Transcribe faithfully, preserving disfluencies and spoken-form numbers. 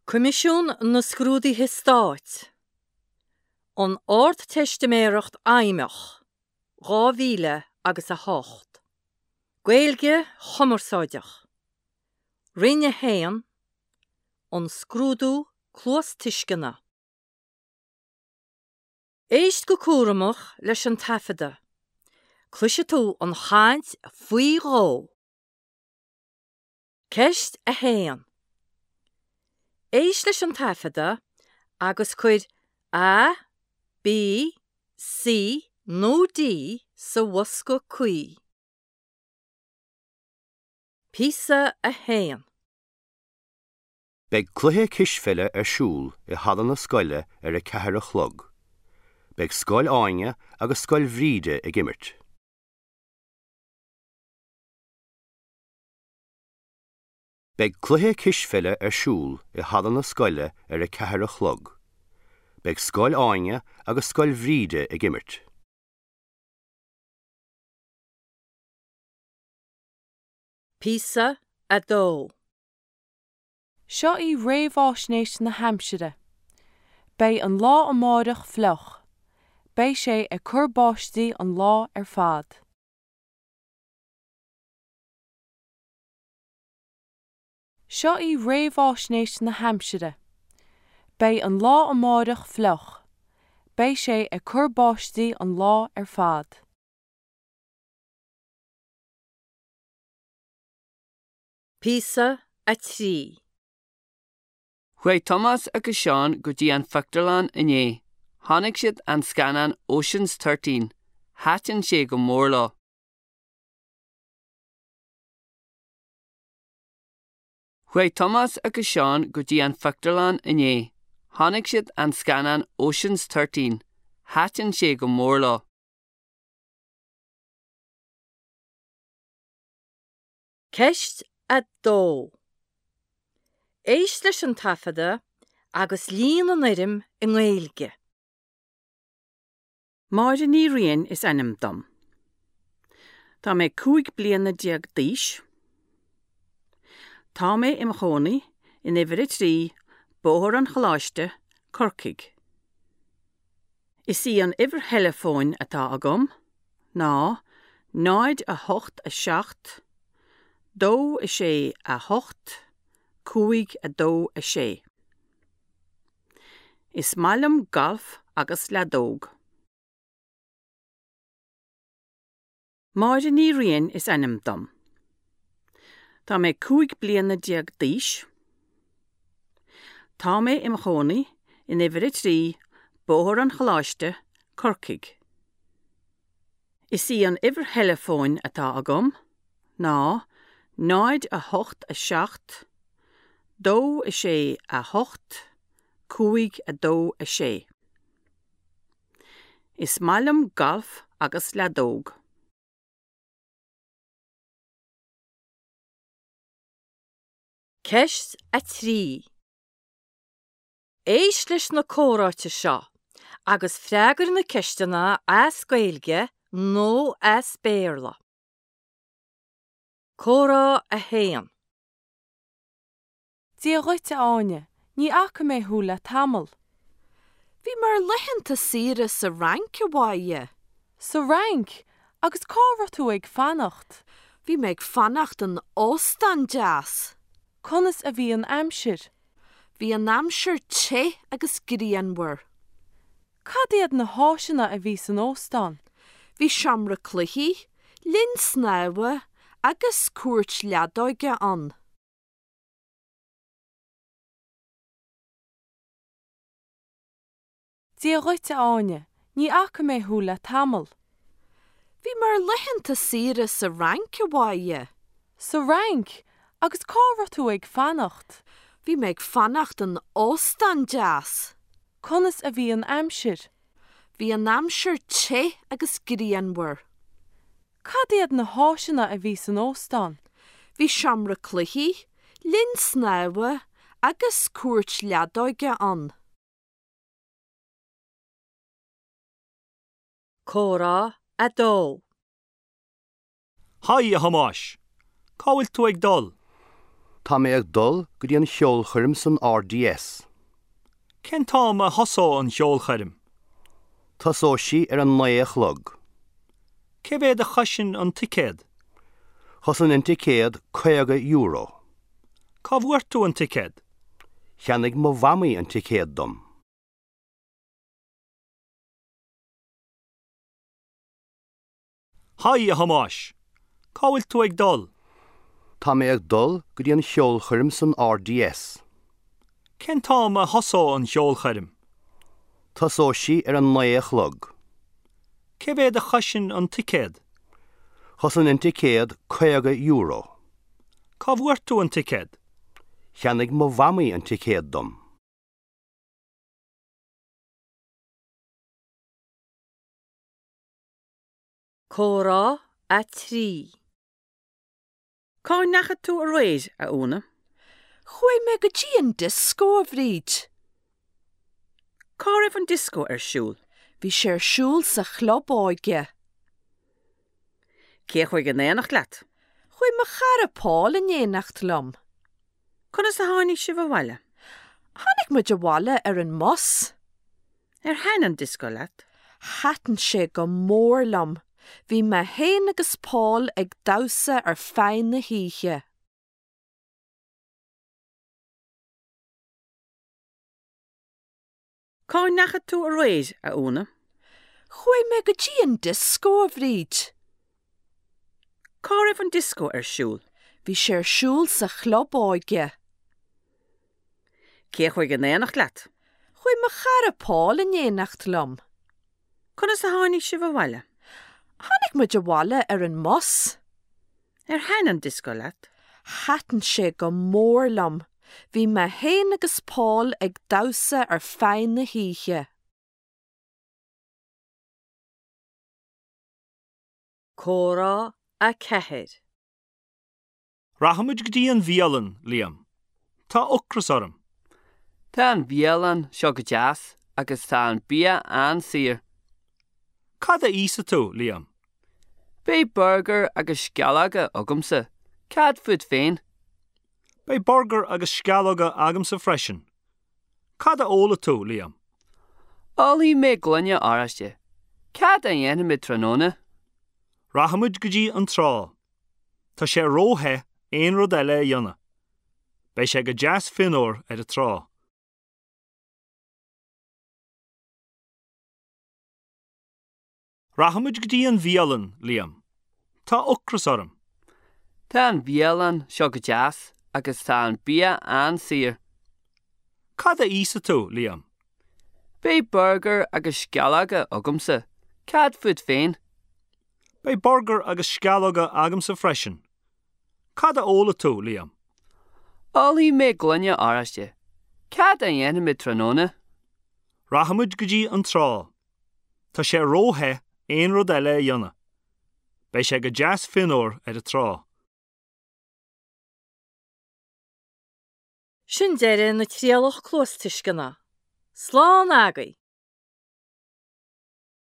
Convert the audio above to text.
Coimisiún na Scrúduithe Stáit An Ardteistiméireacht Fheidhmeach dhá mhíle agus a hocht Gaeilge Chumarsáideach Roinn a haon An Scrúdú Cluastuisceana Éist go cúramach leis an taifeadadh. Cloisfidh tú an chaint faoi dhó. Ceist a haon. Éist leis an taifeadadh agus cuir A, B, C nó D sa bhosca cuí. Píosa a haon. Beidh cluiche cispheile ar siúl i halla na scoile ar a ceathair a chlog. Beidh Scoil Áine agus Scoil Bhríde ag imirt. Beidh cluiche cispheile ar siúl i halla na scoile ar a ceathair a chlog. Beidh Scoil Áine agus Scoil Bhríde ag imirt. Píosa a dó. Seo í réamhaisnéis na haimsire. Beidh an lá amárach fliuch. Beidh sé ag cur báistí an lá ar fad. Seo í réamhaisnéis na haimsire. Beidh an lá amárach fliuch. Beidh sé ag cur báistí an lá ar fad. Píosa a trí. Chuaigh Tomás agus Seán go dtí an phictiúrlann inné. Chonaic siad an scannán Ocean's Thirteen. Thaitin sé go mór leo. Chuaigh Tomás agus Seán go dtí an phictiúrlann inné. Chonaic siad an scannán Ocean's Thirteen. Thaitin sé go mór leo. Ceist a dó. Éist leis an taifeadadh agus líon an fhoirm i nGaeilge. Máire Ní Riain is ainm dom. Tá mé cúig bliana déag d'aois. Tá mé i mo chónaí in uimhir a trí, Bóthar an Choláiste, Corcaigh. Is í an uimhir theileafóin atá agam ná náid a hocht a seacht, dó a sé a hocht, cúig a dó a sé. Is maith liom galf agus leadóg. Máire Ní Riain is ainm dom. Tá mé cúig bliana déag d'aois. Tá mé i mo chónaí in uimhir a trí, Bóthar an Choláiste, Corcaigh. Is í an uimhir theileafóin atá agam ná náid a hocht a seacht, dó a sé a hocht, cúig a dó a sé. Is maith liom galf agus leadóg. Ceist a trí. Éist leis na comhráite seo agus freagair na ceisteanna as Gaeilge nó as Béarla. Comhrá a haon. Dia dhuit a Áine, ní fhaca mé thú le tamall. Bhí mé ar laethanta saoire sa Fhrainc a Mháire. Sa Fhrainc, agus cá raibh tú ag fanacht? Bhí mé ag fanacht in óstán deas. Conas a bhí an aimsir? Bhí an aimsir te agus grianmhar. Cad iad na háiseanna a bhí san óstán? Bhí seomra cluichí, linn snámha agus cúirt leadóige ann. Dia dhuit a Áine, ní fhaca mé thú le tamall. Bhí mé ar laethanta saoire sa Fhrainc a Mháire. Sa Fhrainc, agus cá raibh tú ag fanacht? Bhí mé ag fanacht in óstán deas. Conas a bhí an aimsir? Bhí an aimsir te agus grianmhar. Cad iad na háiseanna a bhí san óstán? Bhí seomra cluichí, linn snámha agus cúirt leadóige ann. Comhrá a dó. Haigh a Thomáis, Cá bhfuil tú ag dul? Tá mé ag dul go dtí an cheolchoirm san RDS. Cén t-am a thosóidh an cheolchoirm? Tosóidh sí ar a naoi a chlog. Cé mhéad a chosain an ticéad? Chosain an ticéad caoga euro. Cá bhfuair tú an ticéad? Cheannaigh mo mhamaí an ticéad dom. Haigh a Thomáis. Cá bhfuil tú ag dul? Tá mé ag dul go dtí an cheolchoirm san RDS. Cén t-am a thosóidh an cheolchoirm? Tosóidh sí ar a naoi a chlog. Cé mhéad a chosain an ticéad? Chosain an ticéad caoga euro. Cá bhfuair tú an ticéad? Cheannaigh mo mhamaí an ticéad dom. Comhrá a trí. Cá ndeachaigh tú aréir, a Úna? Chuaigh mé go dtí an dioscó a Bhríd. Cá raibh an dioscó ar siúl? Bhí sé ar siúl sa chlub óige. Cé chuaigh in éineacht leat? Chuaigh mo chara Paul in éineacht liom. Conas a tháinig sibh abhaile? Tháinig muid abhaile ar an mbus. Ar thaitin an dioscó leat? Thaitin sé go mór liom. Bhí mé féin agus Paul ag damhsa ar feadh na hoíche. Cá ndeachaigh tú aréir, a Úna? Chuaigh mé go dtí an dioscó a Bhríd. Cá raibh an dioscó ar siúl? Bhí sé ar siúl sa chlub óige. Cé chuaigh in éineacht leat? Chuaigh mo chara Paul in éineacht liom. Conas a tháinig sibh abhaile? Tháinig muid abhaile ar an mbus. Ar thaitin an dioscó leat? Thaitin sé go mór liom. Bhí mé féin agus Paul ag damhsa ar feadh na hoíche. Comhrá a ceathair. Rachaimid go dtí an bhialann, Liam. Tá ocras orm. Tá an bhialann seo go deas agus tá an bia an-saor. Cad a íosfaidh tú, Liam? Beidh burgar agus sceallóga agamsa. Cad fút féin? Beidh burgar agus sceallóga agamsa freisin. Cad a ólfaidh tú, Liam? Ólfaidh mé gloine oráiste. Cad a dhéanfaimid tráthnóna? Rachaimid go dtí an trá. Tá sé róthe aon rud eile a dhéanamh. Beidh sé go deas fionnuar ar an trá. Rachaimid go dtí an bhialann, Liam. Tá ocras orm. Tá an bhialann seo go deas agus tá an bia an-saor. Cad a íosfaidh tú, Liam? Beidh burgar agus sceallóga agamsa. Cad fút féin? Beidh burgar agus sceallóga agamsa freisin. Cad a ólfaidh tú, Liam? Ólfaidh mé gloine oráiste. Cad a dhéanfaimid tráthnóna? Rachaimid go dtí an trá. Tá sé róthe aon rud eile a dhéanamh. Beidh sé go deas fionnuar ar an trá. Sin deireadh na trialach cluastuisceana. Slán agaibh!